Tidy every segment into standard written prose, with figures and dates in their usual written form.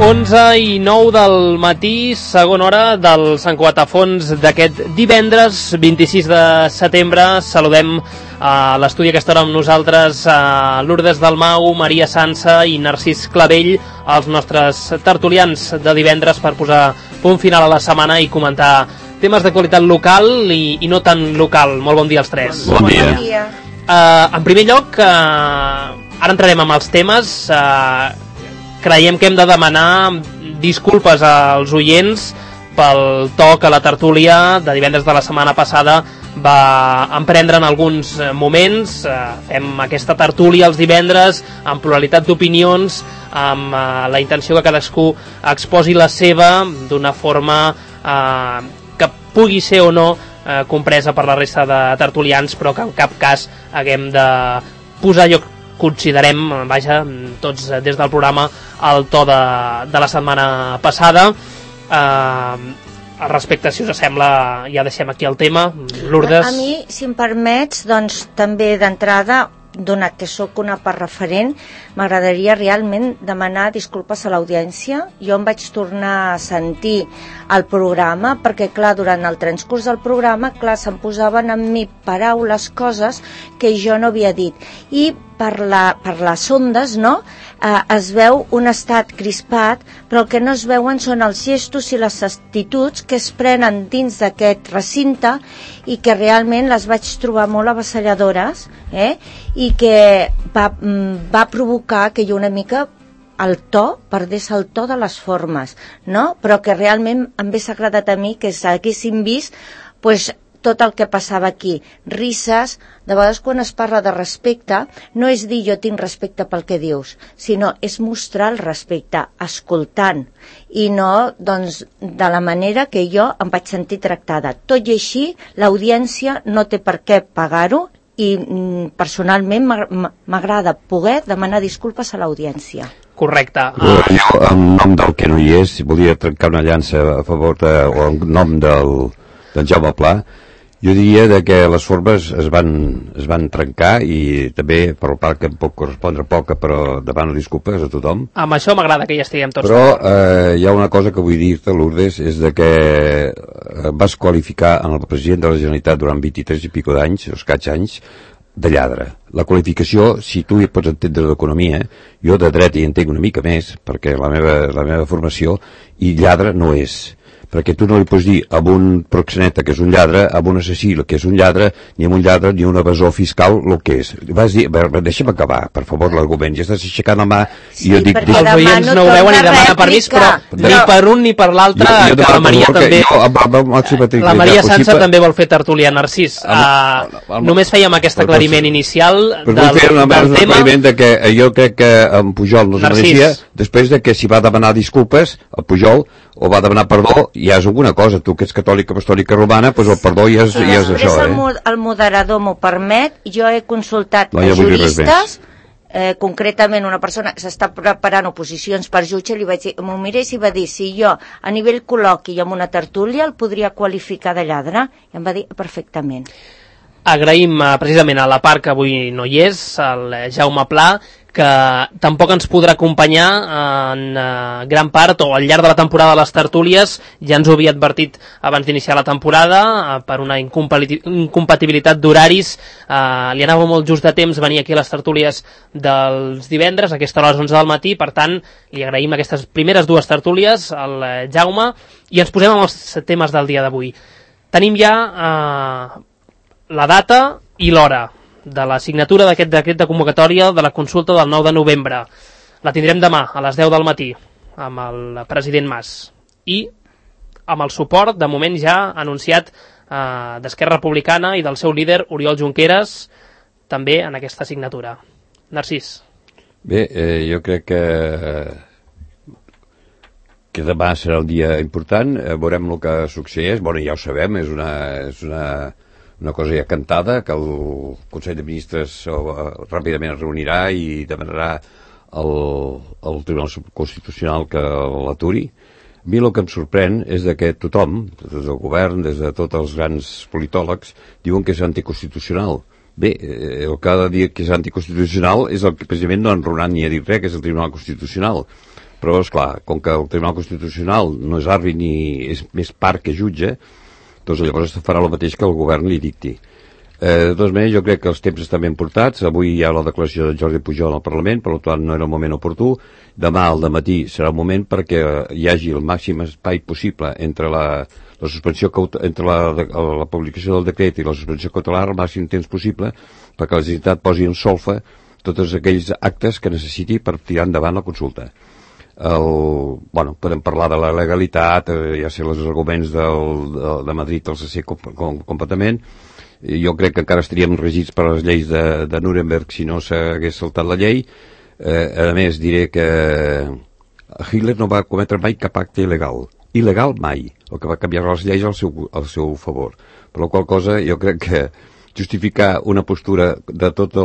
11:09 del matí, segona hora del Sant Cugat a Fons d'aquest divendres 26 de setembre. Saludem a l'estudi a aquesta hora amb nosaltres a Lourdes Dalmau, Maria Sansa i Narcís Clavell, els nostres tertulians de divendres, per posar punt final a la setmana i comentar temes d'actualitat local i no tan local. Molt bon dia als tres. Bon dia. En primer lloc, ara entrarem amb els temes. Creiem que hem de demanar disculpes als oients pel to que la tertúlia de divendres de la setmana passada va emprendre en alguns moments. Fem aquesta tertúlia els divendres amb pluralitat d'opinions, amb la intenció que cadascú exposi la seva d'una forma que pugui ser o no compresa per la resta de tertulians, però que en cap cas haguem de posar allò que considerem, vaja, tots des del programa, el to de la setmana passada. Al respecte, si us sembla, ja deixem aquí el tema. Lourdes? A mi, si em permets, doncs també d'entrada, donat que sóc una part referent, m'agradaria realment demanar disculpes a l'audiència. Jo em vaig tornar a sentir el programa perquè, clar, durant el transcurs del programa, clar, se'm posaven en mi paraules, coses que jo no havia dit. I per les ondes, no?, es veu un estat crispat, però el que no es veuen són els gestos i les actituds que es prenen dins d'aquest recinte i que realment les vaig trobar molt avassalladores, i que va provocar que jo una mica el to perdés el to de les formes, no? Però que realment em hagués agradat a mi que s'haguessin vist pues, tot el que passava aquí, risses. De vegades quan es parla de respecte no és dir jo tinc respecte pel que dius, sinó és mostrar el respecte escoltant, i no doncs de la manera que jo em vaig sentir tractada. Tot i així l'audiència no té per què pagar-ho, i personalment m'agrada poder demanar disculpes a l'audiència. Correcte. Jo, en nom del que no hi és, volia trencar una llança a favor o en nom del Jaume Pla. Jo diria que les formes es van trencar, i també per part que em pot correspondre poca, però demano disculpes a tothom. Amb això m'agrada que ja estiguem tots. Però hi ha una cosa que vull dir-te, Lourdes, és que vas qualificar en el president de la Generalitat durant 23 i pico d'anys, o escaig anys, de lladre. La qualificació, si tu hi pots entendre d'economia, jo de dret hi entenc una mica més, perquè la meva formació, i lladre no és. Perquè tu no li pots dir a un proxeneta que és un lladre, a un assassí que és un lladre, ni a un lladre ni a un evasor fiscal el que és. Vas dir, deixa'm acabar, per favor, l'argument. Ja estàs aixecant la mà i jo dic... Els oients no ho veuen i demanen permís, però ni per un ni per l'altre, que la Maria també... La Maria Sansa també vol fer tertúlia, Narcís. Només fèiem aquest aclariment inicial del tema. Un aclariment que jo crec que en Pujol no es mereixia, després de que s'hi va demanar disculpes, el Pujol, o va demanar perdó, ja és alguna cosa. Tu que ets catòlica, apostòlica romana, doncs el perdó ja és això. El moderador m'ho permet. Jo he consultat juristes, concretament una persona que s'està preparant oposicions per jutge, li vaig dir, m'ho mirés i va dir si jo a nivell col·loqui i amb una tertúlia el podria qualificar de lladre, i em va dir perfectament. Agraïm precisament a la part que avui no hi és, el Jaume Pla, que tampoc ens podrà acompanyar en gran part o al llarg de la temporada de les tertúlies. Ja ens ho havia advertit abans d'iniciar la temporada, per una incompatibilitat d'horaris. Li anava molt just de temps venir aquí a les tertúlies dels divendres, a aquesta hora a les 11 del matí. Per tant, li agraïm aquestes primeres dues tertúlies al Jaume, i ens posem amb els temes del dia d'avui. Tenim ja la data i l'hora de la signatura d'aquest decret de convocatòria de la consulta del 9 de novembre. La tindrem demà a les 10 del matí amb el president Mas i amb el suport, de moment ja anunciat, d'Esquerra Republicana i del seu líder Oriol Junqueras, també en aquesta signatura. Narcís. Bé, jo crec que demà serà un dia important. Veurem el que succeeix. Bueno, ja ho sabem, és una cosa ja cantada, que el Consell de Ministres ràpidament es reunirà i demanarà al Tribunal Constitucional que l'aturi. A mi el que em sorprèn és que tothom, des del govern, des de tots els grans politòlegs, diuen que és anticonstitucional. Bé, el que ha de dir que és anticonstitucional és el que precisament no ha enronat ni ha dit res, que és el Tribunal Constitucional. però, esclar, com que el Tribunal Constitucional no és àrbitre ni és més part que jutge, doncs llavors farà el mateix que el govern li dicti. De totes maneres, jo crec que els temps estan ben portats. Avui hi ha la declaració de Jordi Pujol al Parlament, per tant no era el moment oportú. Demà al dematí serà un moment perquè hi hagi el màxim espai possible entre la suspensió, entre la publicació del decret i la suspensió cautelar, el màxim temps possible, perquè la Generalitat posi en solfa tots aquells actes que necessiti per tirar endavant la consulta. Podem parlar de la legalitat, ja sé els arguments de Madrid els sé completament. Jo crec que encara estaríem regits per les lleis de Nuremberg si no s'hagués saltat la llei. A més, diré que Hitler no va cometre mai cap acte il·legal mai, el que va canviar les lleis al seu favor, per la qual cosa jo crec que justificar una postura de tota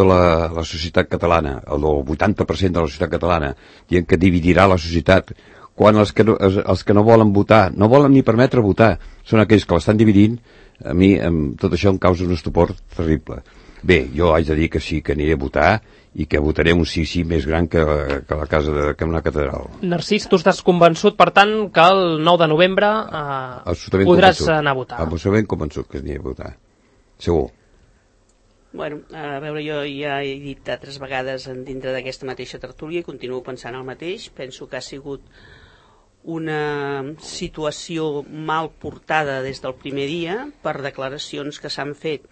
la societat catalana, el 80% de la societat catalana, dient que dividirà la societat, quan els que no volen votar, no volen ni permetre votar, són aquells que l'estan dividint. A mi tot això em causa un estupor terrible. Bé, jo haig de dir que sí, que aniré a votar i que votaré un sí més gran que la casa que una catedral. Narcís, tu estàs convençut, per tant, que el 9 de novembre podràs anar a votar? Absolutament convençut que aniré a votar. Segur. Bueno, a veure, jo ja he dit altres vegades dintre d'aquesta mateixa tertúlia i continuo pensant el mateix. Penso que ha sigut una situació mal portada des del primer dia per declaracions que s'han fet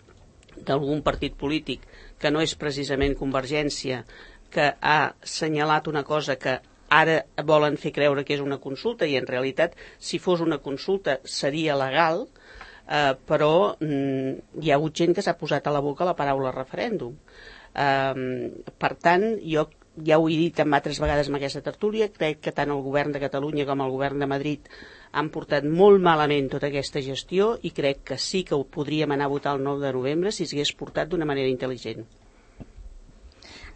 d'algun partit polític que no és precisament Convergència, que ha assenyalat una cosa que ara volen fer creure que és una consulta i en realitat si fos una consulta seria legal, però hi ha hagut gent que s'ha posat a la boca la paraula referèndum. Per tant, jo ja ho he dit altres vegades en aquesta tertúlia, crec que tant el govern de Catalunya com el govern de Madrid han portat molt malament tota aquesta gestió i crec que sí que ho podríem anar a votar el 9 de novembre si s'hagués portat d'una manera intel·ligent.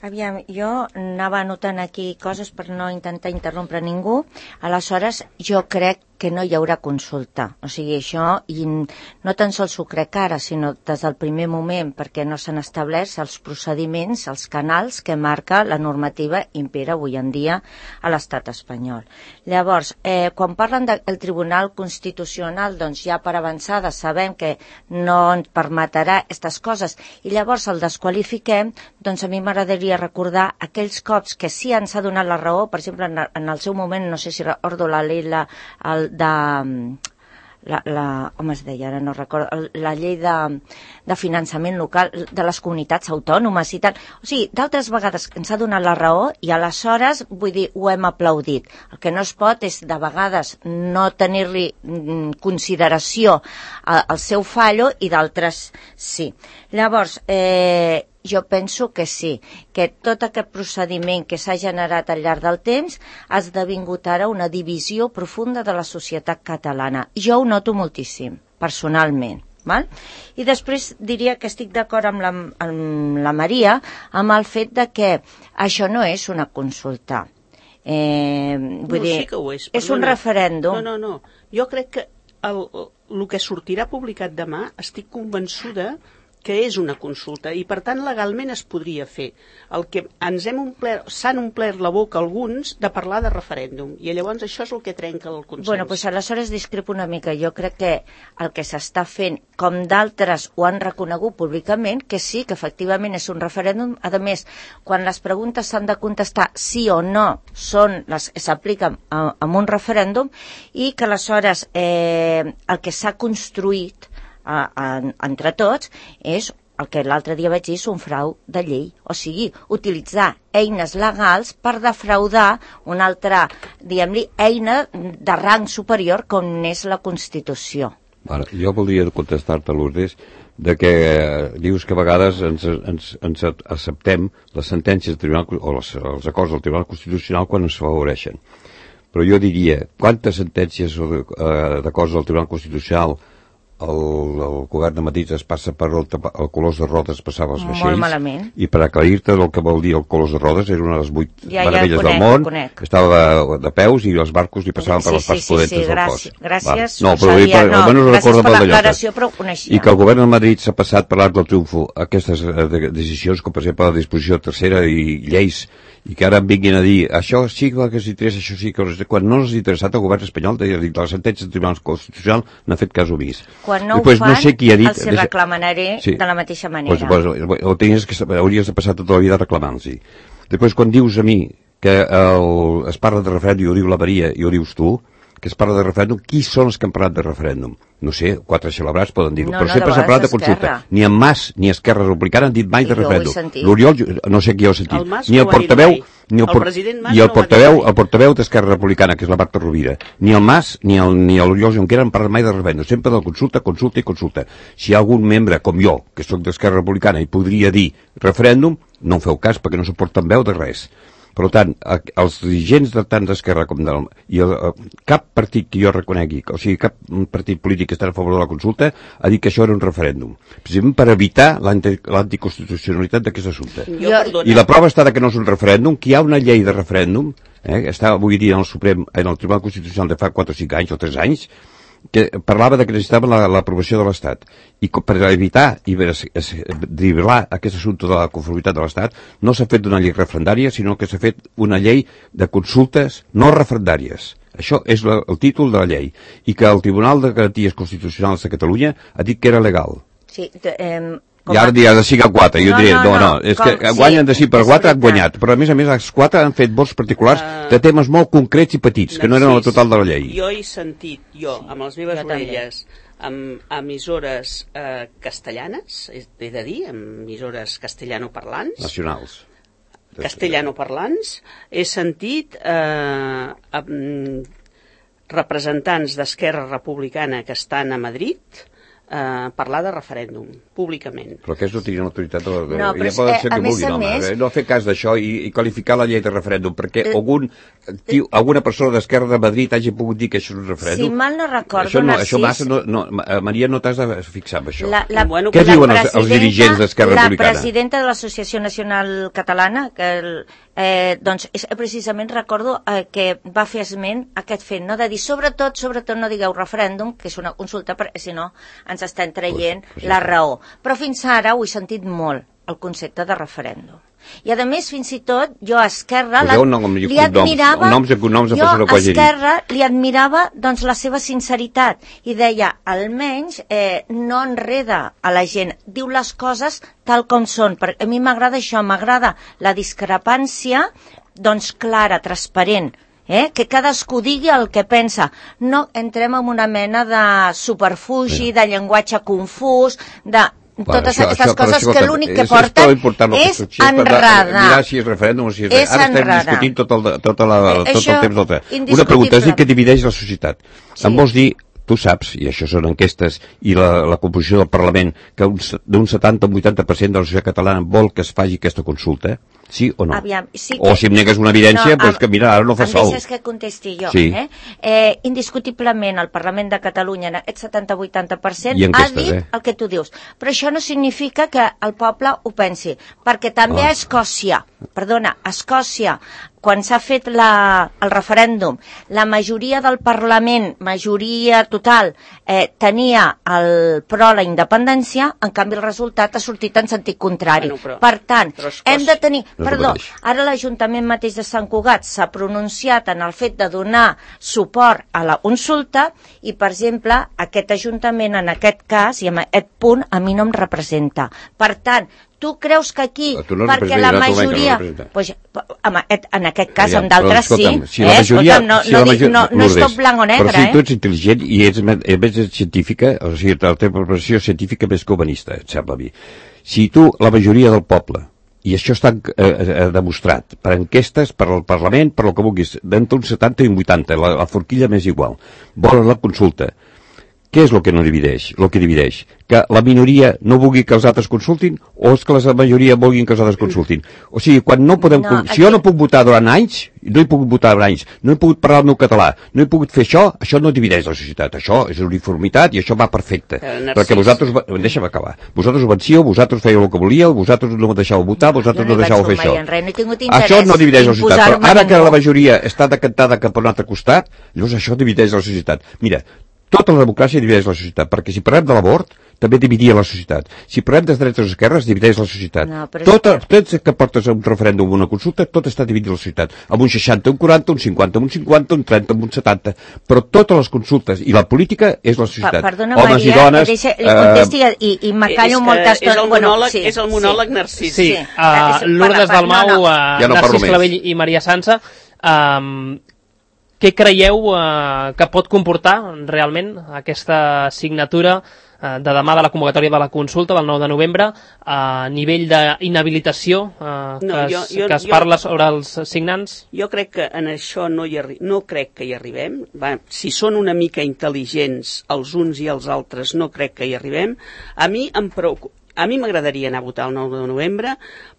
Aviam, jo anava anotant aquí coses per no intentar interrompre ningú. Aleshores, jo crec que no hi haurà consulta. O sigui, això, i no tan sols ho crec ara, sinó des del primer moment, perquè no s'han establert els procediments, els canals que marca la normativa impera avui en dia a l'estat espanyol. Llavors, quan parlen del Tribunal Constitucional, doncs ja per avançada sabem que no ens permetrà aquestes coses, i llavors el desqualifiquem, doncs a mi m'agradaria recordar aquells cops que sí ens ha donat la raó, per exemple, en el seu moment, no sé si recordo la llei com es deia, ara no recordo, la llei de finançament local de les comunitats autònomes i tal. O sigui, d'altres vegades ens ha donat la raó i aleshores, vull dir, ho hem aplaudit. El que no es pot és de vegades no tenir-li consideració al seu fallo i d'altres sí. Llavors, jo penso que sí, que tot aquest procediment que s'ha generat al llarg del temps ha esdevingut ara una divisió profunda de la societat catalana. Jo ho noto moltíssim, personalment. Val? I després diria que estic d'acord amb la Maria amb el fet de que això no és una consulta. Vull dir, sí que ho és. És un referèndum. No. Jo crec que el que sortirà publicat demà estic convençuda que és una consulta i per tant legalment es podria fer. El que s'han omplert la boca alguns de parlar de referèndum i llavors això és el que trenca el consens. Bueno, doncs aleshores discrepo una mica. Jo crec que el que s'està fent, com d'altres ho han reconegut públicament, que sí, que efectivament és un referèndum. A més, quan les preguntes s'han de contestar sí o no són les que s'apliquen amb un referèndum i que aleshores el que s'ha construït entre tots és el que l'altre dia vaig dir, és un frau de llei, o sigui, utilitzar eines legals per defraudar una altra, diguem-li, eina de rang superior com és la Constitució. Ara, jo voldria contestar-te, Lourdes, de que dius que a vegades ens acceptem les sentències del Tribunal o els acords del Tribunal Constitucional quan ens favoreixen. Però jo diria, quantes sentències o d'acords del Tribunal Constitucional el govern de Madrid es passa per el colors de rodes, passava els vaixells. Molt malament. I per aclarir-te el que vol dir el colors de rodes, era una de les 8 meravelles del món, estava de peus i els barcos li passaven per les parts pudentes del cos. Gràcies. No, però almenys recordo per l'aclaració, però ho coneixia. I que el govern de Madrid s'ha passat per l'Arc del Triunfo aquestes decisions, com per exemple la disposició tercera i lleis, i que ara em vinguin a dir això sí que els interessa, això sí que quan no els ha interessat el govern espanyol de la sentència del Tribunal Constitucional n'ha fet cas omís. Quan no ho fan, els reclamanaré de la mateixa manera. Hauries de passar tota la vida reclamant-los. Després, quan dius a mi que es parla de referèndum i ho diu la Maria i ho dius tu, que es parla de referèndum, qui són els que han parlat de referèndum? No sé, 4 celebrats poden dir-ho, però sempre s'ha parlat de consulta. Ni en Mas ni Esquerra Republicana han dit mai de referèndum. L'Oriol, no sé qui ho ha sentit, ni el portaveu, el portaveu d'Esquerra Republicana, que és la Marta Rovira, ni el Mas ni l'Oriol Junquera han parlat mai de referèndum, sempre de consulta. Si hi ha algun membre, com jo, que soc d'Esquerra Republicana, i podria dir referèndum, no en feu cas perquè no suporten veu de res. Per tant, els dirigents de tant d'Esquerra com cap partit que jo reconegui, o sigui, cap partit polític que està a favor de la consulta, ha dit que això era un referèndum. Precisament per evitar l'anticonstitucionalitat d'aquest assumpte. I la prova està que no és un referèndum, que hi ha una llei de referèndum, està avui dia en el Tribunal Constitucional de fa 4 o 5 anys o 3 anys, que parlava que necessitava l'aprovació de l'Estat, i per evitar i driblar aquest assumpte de la conformitat de l'Estat no s'ha fet una llei referendària, sinó que s'ha fet una llei de consultes no referendàries. Això és el títol de la llei, i que el Tribunal de Garanties Constitucionals de Catalunya ha dit que era legal. Sí, i ara dirà de 5 a 4, jo diré, no, és que guanyen de 5 per 4, han guanyat, però a més els 4 han fet vots particulars de temes molt concrets i petits, que no eren el total de la llei. Jo he sentit, amb les meves orelles, amb emissores castellanes, he de dir, emissores castellanoparlants, nacionals, castellanoparlants, he sentit representants d'Esquerra Republicana que estan a Madrid parlar de referèndum, públicament. Però aquests no tenien autoritat ja poden ser que vulguin, no fer cas d'això i qualificar la llei de referèndum, perquè alguna persona d'Esquerra de Madrid hagi pogut dir que això és un referèndum. Si mal no recordo, Narcís... Maria, no t'has de fixar en això. Què diuen els dirigents d'Esquerra Republicana? La presidenta de l'Associació Nacional Catalana, que doncs precisament recordo que va fer esment aquest fet, no? De dir sobretot no digueu referèndum, que és una consulta, si no ens estem traient la raó. Però fins ara ho he sentit molt, el concepte de referèndum. I a més, fins i tot, jo a Esquerra li admirava doncs la seva sinceritat i deia, almenys no enreda a la gent, diu les coses tal com són, perquè a mi m'agrada això, m'agrada la discrepància doncs clara, transparent, que cadascú digui el que pensa, no entrem en una mena de superfugi, de llenguatge confús, de totes aquestes coses que l'únic que porten és enredar. Mirar si és referèndum o si és res. Ara estem discutint tot el temps del temps. Una pregunta, és dir que divideix la societat. Em vols dir, tu saps, i això són enquestes, i la composició del Parlament, que d'un 70 o 80% de la societat catalana vol que es faci aquesta consulta? Sí o no? O si em negues una evidència, doncs que mira, ara no fa sol. Em deixes que contesti jo. Indiscutiblement el Parlament de Catalunya en aquest 70-80% ha dit el que tu dius. Però això no significa que el poble ho pensi, perquè també a Escòcia, quan s'ha fet el referèndum, la majoria del Parlament, majoria total, tenia el pro la independència, en canvi el resultat ha sortit en sentit contrari. Per tant, hem de tenir... Perdó, ara l'Ajuntament mateix de Sant Cugat s'ha pronunciat en el fet de donar suport a la consulta i, per exemple, aquest Ajuntament en aquest cas i en aquest punt a mi no em representa. Per tant, tu creus que aquí, perquè la majoria... En aquest cas, en d'altres sí. No és tot blanc o negre. Però si tu ets intel·ligent i ets científica, o sigui, la teva preparació científica més que humanista, et sembla a mi. Si tu, la majoria del poble, i això està demostrat per enquestes, per al Parlament, per el que vulguis, d'entre un 70 i un 80, la forquilla més igual, volen la consulta, Què és el que no divideix? El que divideix? Que la minoria no vulgui que els altres consultin o és que la majoria vulguin que els altres consultin? O sigui, quan no podem... Si jo no puc votar durant anys, no he pogut votar durant anys, no he pogut parlar el meu català, no he pogut fer això no divideix la societat. Això és uniformitat i això va perfecte. Perquè vosaltres... Deixa'm acabar. Vosaltres vencíeu, vosaltres fèieu el que volíeu, vosaltres no deixàveu votar, vosaltres no deixàveu fer això. Això no divideix la societat. Però ara que la majoria està decantada cap a un altre costat, llavors això divideix la societat. Mira, tota la democràcia divideix la societat, perquè si parlem de l'abort, també dividia la societat. Si parlem dels drets dels esquerres, divideix la societat. No, tot que portes a un referèndum o una consulta, tot està dividit la societat. Amb un 60, un 40, un 50, un 50, un 30, un 70. Però totes les consultes i la política és la societat. Perdona, homes Maria, i dones... li contesti i m'acallo molta estona. És el monòleg narcís. Sí, Lourdes Dalmau, Narcís Clavell i Maria Sansa, què creieu que pot comportar realment aquesta signatura de demà de la convocatòria de la consulta del 9 de novembre a nivell d'inhabilitació que es parla sobre els signants? Jo crec que en això no crec que hi arribem. Si són una mica intel·ligents els uns i els altres, no crec que hi arribem. A mi m'agradaria anar a votar el 9 de novembre,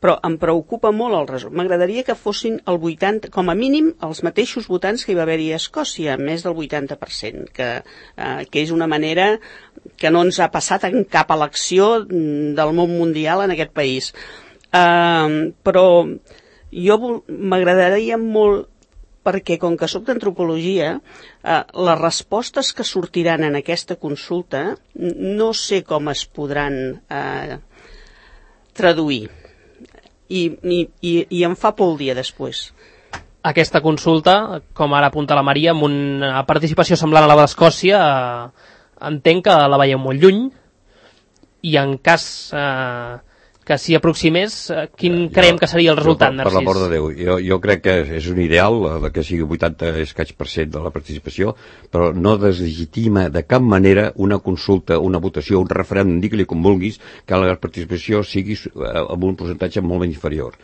però em preocupa molt el resultat. M'agradaria que fossin el 80, com a mínim, els mateixos votants que hi va haver-hi a Escòcia, més del 80%, que és una manera que no ens ha passat en cap elecció del món mundial en aquest país. Però m'agradaria molt, perquè com que soc d'antropologia, les respostes que sortiran en aquesta consulta no sé com es podran traduir. I em fa por el dia després. Aquesta consulta, com ara apunta la Maria, amb una participació semblant a la d'Escòcia, entenc que la veieu molt lluny, i en cas... que s'hi aproximés, quin creiem que seria el resultat, Narcís? Per l'amor de Déu, jo crec que és un ideal que sigui 80% de la participació, però no deslegitima de cap manera una consulta, una votació, un referèndum, digue-li com vulguis, que la participació sigui amb un percentatge molt menys inferior.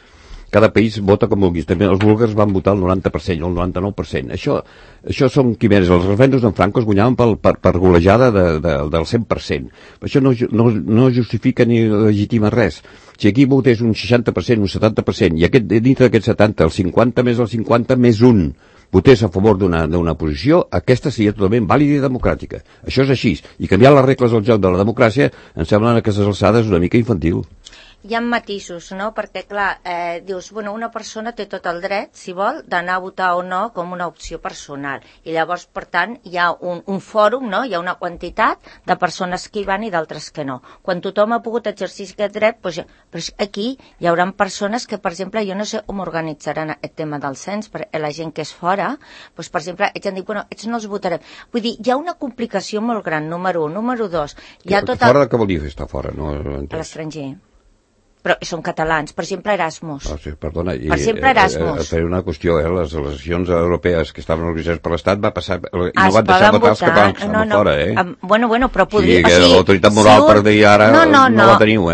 Cada país vota com vulguis. També els búlgars van votar el 90% o el 99%. Això són quimeres. Els referèndums d'en Franco es guanyaven per golejada del 100%. Això no justifica ni legitima res. Si aquí votés un 60%, un 70%, i dintre d'aquest 70, el 50 més el 50 més un, votés a favor d'una posició, aquesta seria totalment vàlida i democràtica. Això és així. I canviar les regles del joc de la democràcia em sembla que a aquestes alçades una mica infantil. Hi ha matisos, no? Perquè, clar, dius, bueno, una persona té tot el dret, si vol, d'anar a votar o no com una opció personal. I llavors, per tant, hi ha un fòrum, no? Hi ha una quantitat de persones que hi van i d'altres que no. Quan tothom ha pogut exercir aquest dret, doncs, però aquí hi haurà persones que, per exemple, jo no sé com organitzaran aquest tema del cens, perquè la gent que és fora, doncs, per exemple, ells han dit, bueno, ells no els votarem. Vull dir, hi ha una complicació molt gran, número 1. Número 2, hi ha tot fora què vol dir estar fora? No, a l'estranger. Però són catalans, per exemple Erasmus. Sí, perdona, per exemple Erasmus. Per una qüestió, les eleccions europees que estaven organitzades per l'Estat va passar, i no van deixar votar els catalans fora, Bueno, però podria... O sigui, l'autoritat moral per dir ara no la teniu,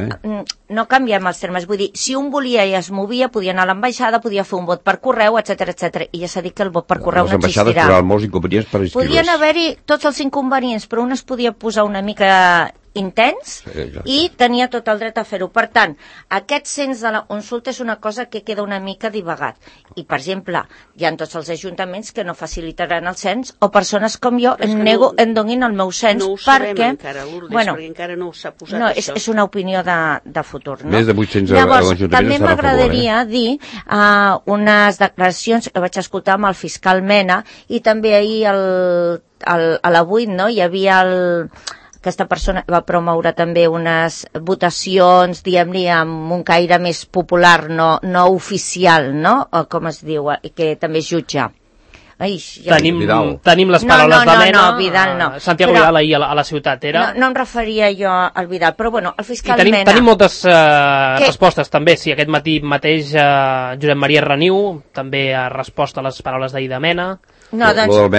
No canviem els termes, vull dir, si un volia i es movia, podia anar a l'ambaixada, podia fer un vot per correu, etc. I ja s'ha dit que el vot per correu no existirà. Les ambaixades tindran molts inconvenients per inscriure's. Podien haver-hi tots els inconvenients, però un es podia posar una mica intens i tenia tot el dret a fer-ho. Per tant, aquest cens de la consulta és una cosa que queda una mica divagat. I, per exemple, hi ha tots els ajuntaments que no facilitaran el cens, o persones com jo em donin el meu cens, perquè... encara, Lourdes, perquè encara no s'ha posat això. És una opinió de futur, no? Més de 800 Llavors, també m'agradaria dir unes declaracions que vaig escoltar amb el fiscal Mena, i també ahir a la 8, no? Hi havia aquesta persona va promoure també unes votacions, diguem-ne, amb un caire més popular, no oficial, no? O com es diu, que també és jutge. Tenim les paraules de Mena. No, Vidal no. Santiago Vidal ahir a la ciutat era. No em referia jo al Vidal, però bueno, el fiscal Mena... Tenim moltes respostes també, sí, aquest matí mateix Josep Maria Reniu també ha respost a les paraules d'ahir de Mena. No, doncs, lo del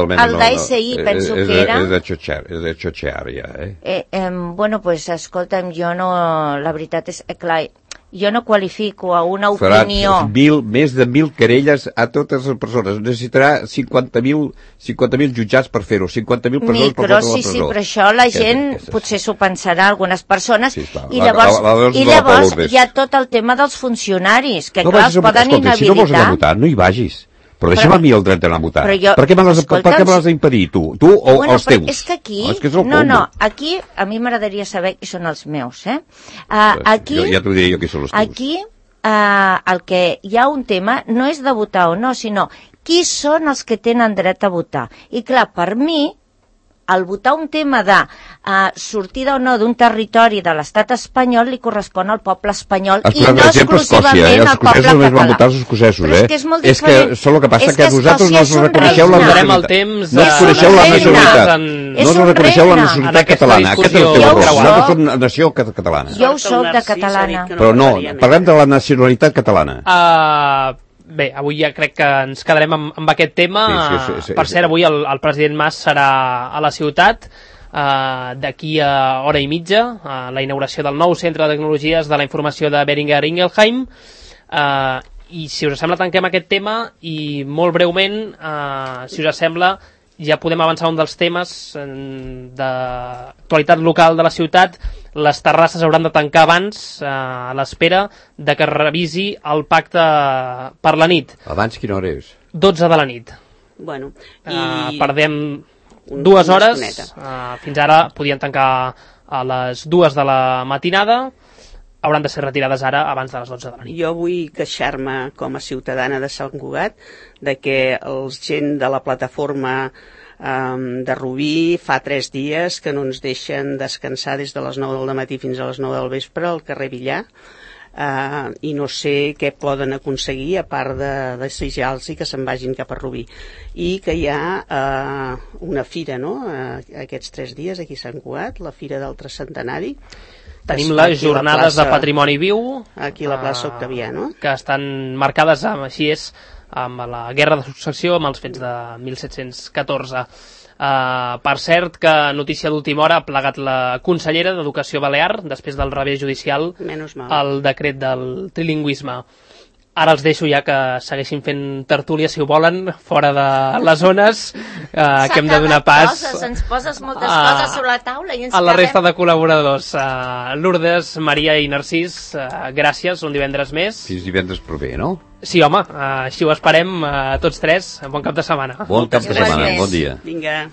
Mena el d'ASI penso que era... És de xotxear, ja, bueno, pues, escolta'm, jo no... La veritat és, clar, jo no qualifico a una opinió... Més de 1.000 querelles a totes les persones. Necessitarà 50.000 jutjats per fer-ho, 50.000 persones per fotre a la presó. Sí, però això la gent potser s'ho pensarà, algunes persones, sí, i llavors hi ha tot el tema dels funcionaris, que clar, els poden inhabilitar. Si no vols anar a votar, no hi vagis. Però deixa'm a mi el dret d'anar a votar. Per què me l'has d'impedir, tu? Tu o els teus? És que aquí... Aquí a mi m'agradaria saber qui són els meus, Aquí... Ja t'ho diré jo qui són els teus. Aquí el que hi ha un tema no és de votar o no, sinó qui són els que tenen dret a votar. I clar, per mi, al votar un tema de sortida o no d'un territori de l'estat espanyol li correspon al poble espanyol i no exclusivament al poble català. Només van votar els escocesos, Però és que és molt diferent. És que el que passa que vosaltres no us reconeixeu la nacionalitat. No us coneixeu la nacionalitat. No us reconeixeu la nacionalitat catalana. Aquest és el teu error. Nosaltres som nació catalana. Jo ho soc de catalana. Però no, parlem de la nacionalitat catalana. Bé, avui ja crec que ens quedarem amb aquest tema. Sí. Per cert, avui el president Mas serà a la ciutat d'aquí a hora i mitja, la inauguració del nou centre de tecnologies de la informació de Boehringer Ingelheim. I si us sembla tanquem aquest tema i molt breument, si us sembla, ja podem avançar un dels temes d'actualitat local de la ciutat. Les terrasses hauran de tancar abans, a l'espera de que es revisi el pacte per la nit. Abans quina hora és? 12 de la nit. Bueno, perdem 2 hores. Fins ara podien tancar a les 2 de la matinada. Hauran de ser retirades ara abans de les 12 de la nit. Jo vull queixar-me com a ciutadana de Sant Cugat de que els gent de la plataforma de Rubí fa 3 dies que no ens deixen descansar des de les 9 del matí fins a les 9 del vespre al carrer Villar, i no sé què poden aconseguir a part de desejar-los que se'n vagin cap a Rubí. I que hi ha una fira, no?, aquests 3 dies aquí a Sant Cugat, la Fira del Tricentenari. Tenim les jornades de patrimoni viu aquí a la plaça Octavià, no?, que estan marcades amb la guerra de successió, amb els fets de 1714. Per cert, que notícia d'última hora ha plegat la consellera d'Educació Balear després del revés judicial al decret del trilingüisme. Ara els deixo ja que segueixin fent tertúlia, si ho volen, fora de les zones, que hem de donar pas ens poses moltes coses sobre la taula i a la resta de col·laboradors. Lourdes, Maria i Narcís, gràcies, un divendres més. Fins divendres proper, no? Sí, home, així ho esperem, tots tres. Bon cap de setmana. Bon cap de setmana, bon dia. Vinga.